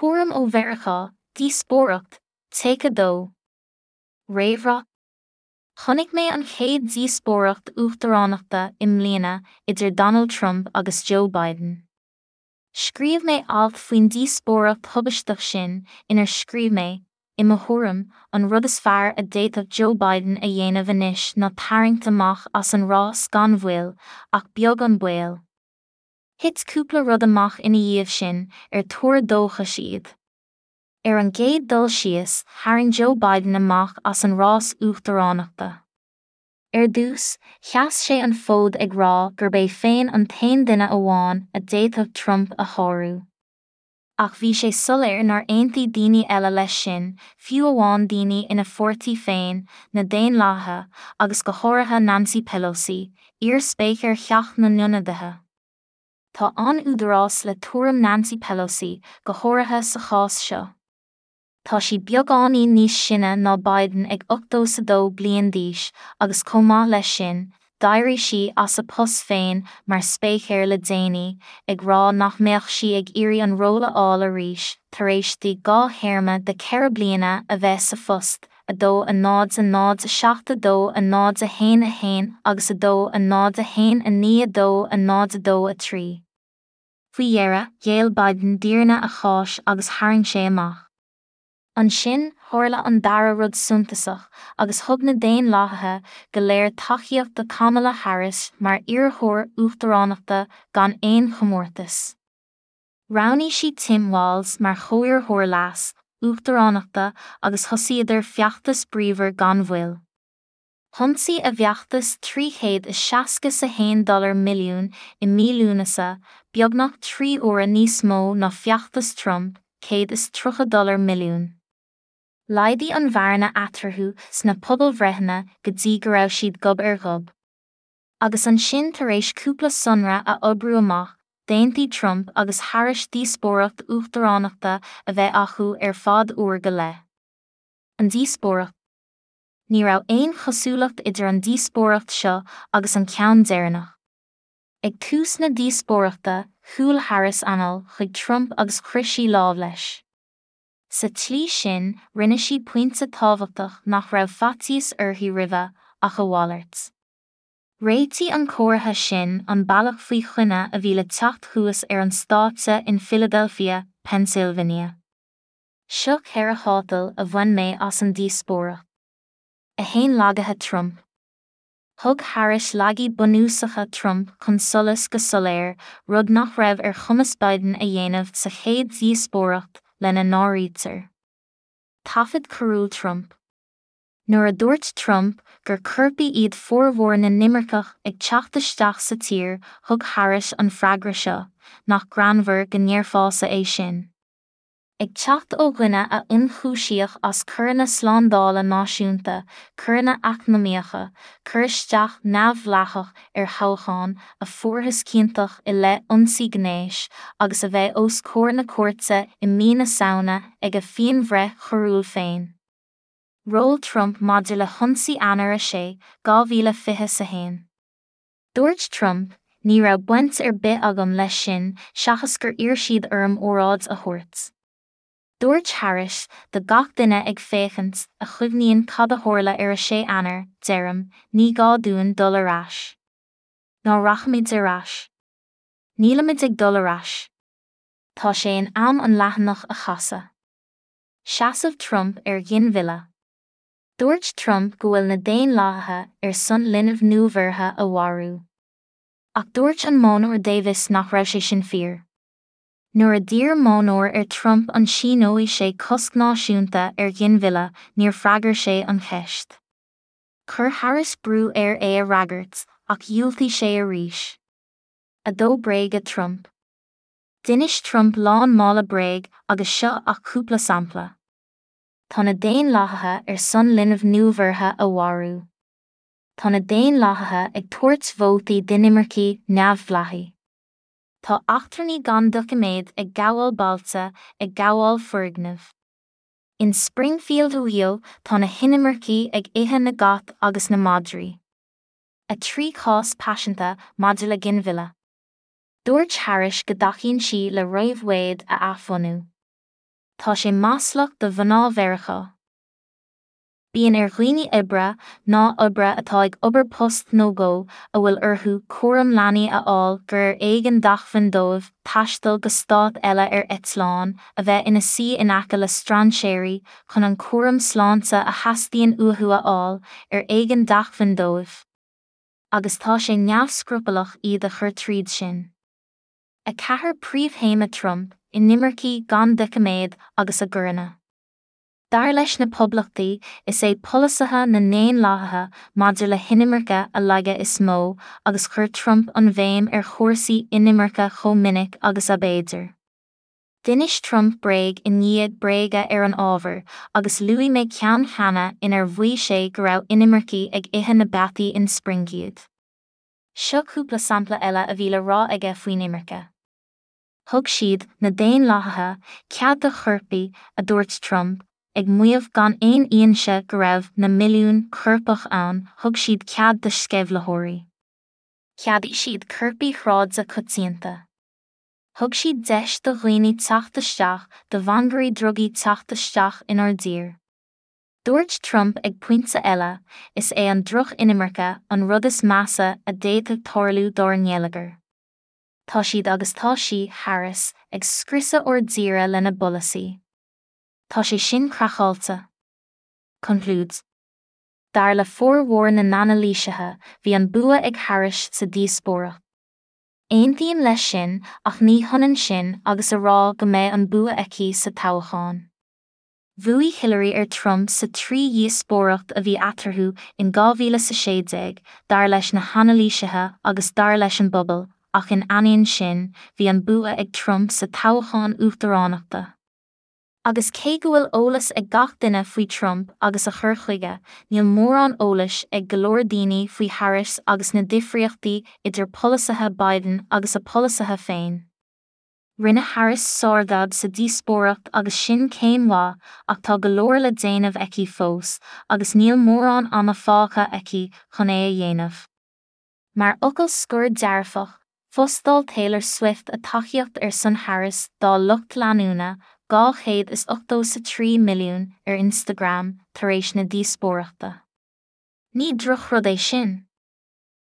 Tuairim ó Mheiriceá, Díospóireacht, Take 2. Réamhrá Chonaic mé an chéad díospóireacht uachtaránachta i mbliana idir Donald Trump agus Joe Biden. Scríobh mé alt faoin díospóireacht thubaisteach sin inar scríobh mé, i mo thuairim, an rud is fearr a d'fhéadfadh Joe Biden a dhéanamh anois ná tarraingt amach as an rás gan mhoill, ach beag an baol. Thit cúpla rud amach ina dhiaidh sin ar tuar dóchais iad. Ar an gcéad dul síos, tharraing Joe Biden amach as an rás uachtaránachta. Ar dtús, sheas sé an fód ag rá gurb é féin an t-aon duine amháin a d'fhéadfadh Trump a shárú. Ach bhí sé soiléir nár aontaigh daoine eile leis sin, fiú amháin daoine ina pháirtí féin, na Daonlathaithe, agus go háirithe Nancy Pelosi, iar-spéicéir Theach na nIonadaithe. Tá an-údarás le tuairim Nancy Pelosi, go háirithe sa chás seo. Tá sí beagáinín níos sine ná Biden ag 82 bliain d'aois agus chomh maith leis sin, d'éirigh sí as a post féin mar spéicéir le déanaí, ag rá nach mbeadh sí ag iarraidh an ról a fháil arís tar éis di dhá théarma de cheithre bliana a bheith sa phost, 2 0 0 7 2 0 1 1 agus 2 0 1 9 2 0 2 3. Faoi dheireadh, ghéill Biden d'fhírinne a cháis agus tharraing sé amach. Ansin, tharla an dara rud suntasach agus thug na Daonlathaithe go léir tacaíocht do Kamala Harris mar iarrthóir uachtaránachta gan aon chomórtas. Roghnaigh sí Tim Walz mar chomhiarrthóir leas, uachtaránachta agus thosaíodar feachtas bríomhar gan mhoill. Thionsaigh a bhfeachtas $361 dollar milliún i mí Lúnasa, beagnach trí huaire níos mó ná feachtas Trump, $130 dollar milliún. Laghdaigh an bhearna eatarthu sna pobalbhreitheanna go dtí go raibh siad gob ar ghob. Agus ansin tar éis cúpla sonra a oibriú amach, d'aontaigh Trump agus Harris díospóireacht uachtaránachta a bheith acu ar fad uair go leith. An díospóireacht. Ní raibh aon chosúlacht idir an díospóireacht seo agus an ceann deireanach. Ag tús na díospóireachta, shiúil Harris anall chuig Trump agus chroith sí lámh leis. Sa tslí sin, rinne sí pointe tábhachtach nach raibh faitíos uirthi roimhe, ach a mhalairt. Réitigh an comhartha sin an bealach faoi choinne a bhí le teacht thuas ar an stáitse in Philadelphia, Pennsylvania. Seo ceithre thátal a bhain mé as an díospóireacht. 1 Lagaithe Trump. Thug Harris laigí bunúsacha Trump chun solais go soiléir, rud nach raibh ar chumas Biden a dhéanamh sa chéad dhíospóireacht, lena n-áirítear. Taifead coiriúil Trump. Nuair a dúirt Trump gur coirpigh iad formhór na n-imirceach ag teacht isteach sa tír, thug Harris an freagra seo, Nach greannmhar go ndéarfása é sin? Ag teacht ó dhuine a ionchúisíodh as coireanna slándála náisiúnta, coireanna eacnamaíocha, cur isteach neamhdhleathach ar thoghchán, a fuarthas ciontach i leith ionsaí gnéis, agus a bheidh os comhair na cúirte i mí na Samhna ag a phianbhreith choiriúil féin. Ról Trump maidir le hionsaí Eanáir 6, 2021. Dúirt Trump, Ní raibh baint ar bith agam leis sin seachas gur iarr siad orm óráid a thabhairt. Dúirt Harris, Do gach duine ag féachaint, a chuimhníonn cad a tharla ar 6 Eanáir, deirim, ní gá dúinn dul ar ais. Ná rachaimid ar ais. Nílimid ag dul ar ais. Tá sé in am an leathanach a chasadh. Seasamh Trump ar ghinmhilleadh. Dúirt Trump go bhfuil na Daonlathaithe ar son linbh nuabheirthe a mharú. Ach dúirt an Modhnóir Davis nach raibh sé sin fíor. Nuair a d'iarr modhnóir ar Trump an síneoidh sé cosc náisiúnta ar ghinmhilleadh, níor freagair sé an cheist. Chuir Harris brú air é a fhreagairt, ach dhiúltaigh sé arís. 2 Bréaga Trump. D'inis Trump lán mála bréag agus seo ach cúpla sampla. Tá na Daonlathaithe ar son linbh nuabheirthe a mharú. Tá na Daonlathaithe ag tabhairt vótaí d'inimircigh neamhdhleathaigh. Tá eachtrannaigh gan doiciméad ag gabháil bailte, ag gabháil foirgneamh. In Springfield Ohio tá na hinimircigh ag ithe na gcat agus na madraí. 3 Cás paiseanta maidir le ginmhilleadh. Dúirt Harris go dtacaíonn sí le Roe v Wade a athbhunú. Tá sé maslach do mhná Mheiriceá. Bíonn ar dhaoine oibre, mná oibre atá ag obair post nó dhó, a bhfuil orthu cúram leanaí a fháil gur ar éigean d'acmhainn dóibh taisteal go stát eile ar eitleán, a bheith ina suí in aice le strainséirí chun an cúram sláinte a theastaíonn uathu a fháil, ar éigean d'acmhainn dóibh. Agus tá sé neamhscrupallach iad a chur tríd sin. 4 Príomhthéama Trump, inimircigh gan doiciméad agus a gcoireanna. Dar leis na Poblachtaigh, is é polasaithe na nDaonlathaithe maidir le hinimirce a laige is mó agus chuir Trump an bhéim ar chúrsaí inimirce chomh minic agus ab fhéidir. D'inis Trump bréag i ndiaidh bréige ar an ábhar, agus luaigh mé ceann cheana inar mhaígh sé go raibh inimircigh ag ithe na bpeataí in Springfield. Seo cúpla sampla eile a bhí le rá aige faoin imirce. Thug siad, na Daonlathaithe, cead do choirpigh, a dúirt Trump, ag maíomh gan aon fhianaise go raibh na milliúin coirpeach ann, thug siad cead do sceimhlitheoirí. Cheadaigh siad coirpigh shráide coitianta. Thug siad deis do dhaoine teacht isteach, do mhangairí drugaí teacht isteach inár dtír. Dúirt Trump ag pointe eile, is é an droch-inimirce an rud is measa a d'fhéadfadh tarlú dár ngeilleagar. Tá siad agus tá sí, Harris, ag scriosadh ár dtíre lena bpolasaí. Tá sé sin craiceáilte. Conclúid. Dar le formhór na n-anailísithe, bhí an bua ag Harris sa díospóireacht. Aontaím leis sin ach ní hionann sin agus a rá go mbeidh an bua aici sa toghchán. Bhuaigh Hillary ar Trump sa trí dhíospóireacht a bhí eatarthu in 2016, dar leis na hanailísithe agus dar leis an bpobal, ach in ainneoin sin, bhí an bua ag Trump sa toghchán uachtaránachta. Agus cé go bhfuil eolas ag gach duine faoi Trump agus a chur chuige, níl mórán eolais ag go leor daoine faoi Harris agus na difríochtaí idir polasaithe Biden agus a polasaithe féin. Rinne Harris sárjab sa díospóireacht agus sin céim mhaith ach tá go leor le déanamh aici fós agus níl mórán ama fágtha aici chun é a dhéanamh. Mar fhocal scoir dearfach, phostáil Taylor Swift a tacaíocht ar son Harris dá lucht leanúna, 283 milliún, ar Instagram tar éis na díospóireachta. Ní drochrud é sin.